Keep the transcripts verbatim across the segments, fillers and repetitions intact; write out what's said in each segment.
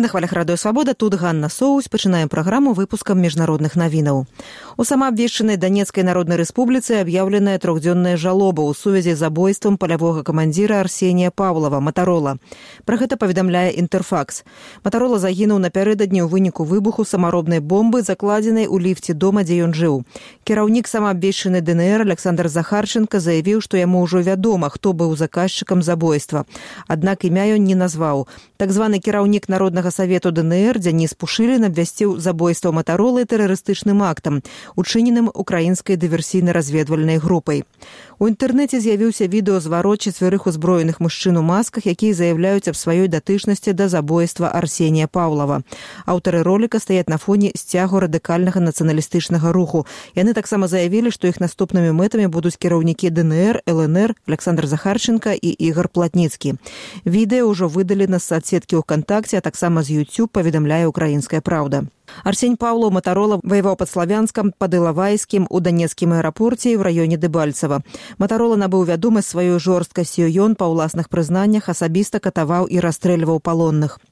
Вы на хвалях Радыё Свабода, тут Ганна Соусь. Пачынаем праграму выпускам міжнародных навінаў. У самаабвешчанай Данецкай Народнай Рэспубліцы аб'яўленая трохдзённая жалоба ў сувязі з забойствам палявога камандзіра Арсенія Паўлава, Матарола. Пра гэта паведамляе Інтэрфакс. Матарола загінуў напярэдадні ў выніку выбуху самаробнай бомбы, закладзенай у ліфце дома, дзе ён жыў. Кіраўнік самаабвешчанай ДНР Александр Захарченко заявіў, што яму ўжо вядома, хто быў заказчыкам забойства. Аднак імя ён не назваў. Так званы кіраўнік Народнага Савету ДНР Дзяніс Пушылін абвясціў забойства Матаролы тэрарыстычным актам, учыненым украінскай дыверсійна-разведвальнай групай. У інтэрнэце з'явіўся відэазварот чацвярых узброеных мужчын у масках, якія заяўляюць аб сваёй датычнасці да забойства Арсенія Паўлава. Аўтары роліка стаяць на фоне сцягу радыкальнага нацыяналістычнага руху. Яны таксама заявілі, што іх наступнымі мэтамі будуць кіраўнікі ДНР, ЛНР, Александр Захарченко і Ігор Платніцкі. Відэа ўжо выдалі на соцсеткі ВКонтакте, а таксама з YouTube, паведамляе «Украінская праўда». Арсень Паўлаў Матарола ваяваў пад Славянскам, пад Ілавайскім, у данецкім аэрапорце і ў раёне Дэбальцева. Матарола набыў вядомасць сваёй жорсткасцю. Ён па ўласных прызнаннях асабіста катаваў і расстрэльваў палонных.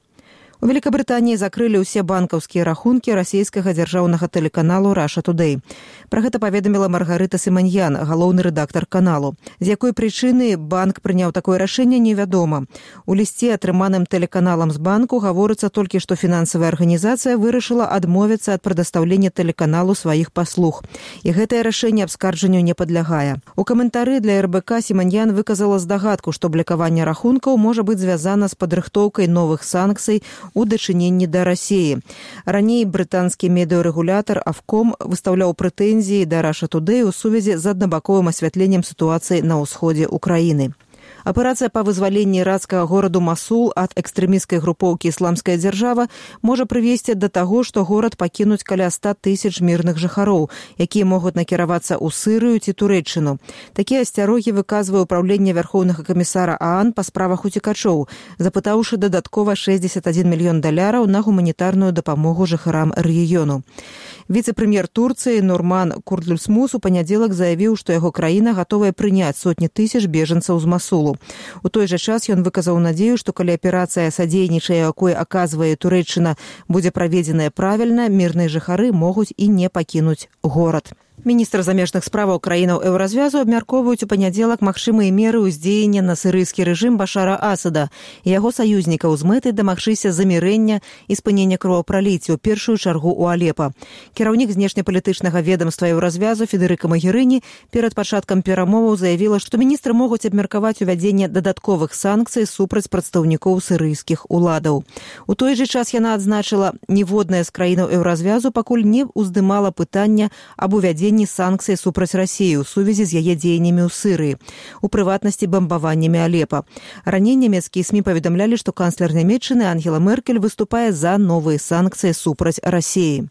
У Великабрытаніі закрылі ўсе банкаўскія рахункі расійскага дзяржаўнага тэлеканалу Russia Today. Пра гэта паведаміла Маргарыта Сіманьян, галоўны рэдактар каналу. З якой прычыны банк прыняў такое рашэнне, невядома. У лісце, атрыманым тэлеканалам з банку, гаворыцца толькі, што фінансавая арганізацыя вырашыла адмовіцца ад прадастаўлення тэлеканалу сваіх паслуг. І гэтае рашэнне абскарджанню не падлягае. У каментары для РБК Сіманьян выказала здагадку, што блакаванне рахункаў можа быць звязана з падрыхтоўкай новых санкцый у дачыненні да Расіі. Раней брытанскі медыарэгулятар Авком выстаўляў прэтэнзіі да Russia Today у сувязі з аднабаковым асвятленнем сітуацыі на ўсходзе Украіны. Аперацыя па вызваленні ірацкага гораду Масул ад экстрэмісцкай групоўкі «Ісламская дзяржава» можа прывесці да таго, што горад пакінуць каля ста тысяч мірных жыхароў, якія могуць накіравацца ў Сырыю ці Турэччыну. Такія асцярогі выказвае ўпраўленне вярхоўнага камісара ААН па справах уцекачоў, запытаўшы дадаткова шэсцьдзесят адзін мільён даляраў на гуманітарную дапамогу жыхарам рэгіёну. Віцэ-прэм'ер Турцыі Нурман Куртульсмус у панядзелак заявіў, што яго краіна гатовая прыняць сотні тысяч бежанцаў з Масулу. У той жа час ён выказаў надзею, што калі аперацыя садзейнічае, якой аказвае Турэччына, будзе праведзеная правільна, мірныя жыхары могуць і не пакінуць горад. Міністр замежных справаў краінаў еўразвязу абмяркоўваюць у панядзелак магчымыя меры ўздзеяння на сірыйскі рэжым Башара Асада і яго саюзнікаў з мэтай дамагчыся замірэння і спынення кровапраліцця, у першую чаргу ў Алепа. Кіраўнік знешнепалітычнага ведамства еўразвязу Федэрыка Магерыні перад пачаткам перамоваў заявіла, што міністры могуць абмеркаваць увядзенне дадатковых санкцый супраць прадстаўнікоў сірыйскіх уладаў. У той жа час яна адзначыла, ніводная з краінаў еўразвязу пакуль не ўздымала пытання аб увядзенні санкцыі супраць Расіі ў сувязі з яе дзеяннямі ў Сырыі, у прыватнасці бамбаваннямі Алепа. Раней нямецкія СМІ паведамлялі, што канцлер Нямецчыны Ангела Меркель выступае за новыя санкцыі супраць Расіі.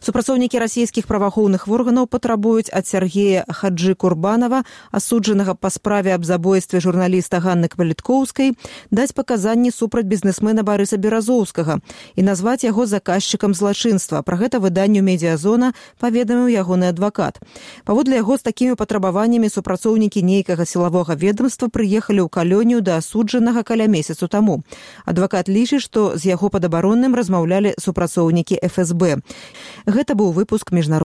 Супрацоўнікі расійскіх праваахоўных органаў патрабуюць ад Сергея Хаджы Курбанова, асуджанага па справе аб забойстве журналіста Ганны Кваліткоўскай, даць паказанні супраць бізнесмена Барыса Беразоўскага і назваць яго заказчыкам злачынства. Пра гэта выданню «Медіазона» паведаміў ягоны адвакат. Паводле яго, з такімі патрабаваннямі супрацоўнікі нейкага сілавога ведомства прыехалі ў калонію да асуджанага каля месяцу таму. Адвакат лічыць, што з яго падабаронным размаўлялі супрацоўнікі эф эс бэ. Гэта быў выпуск міжнародных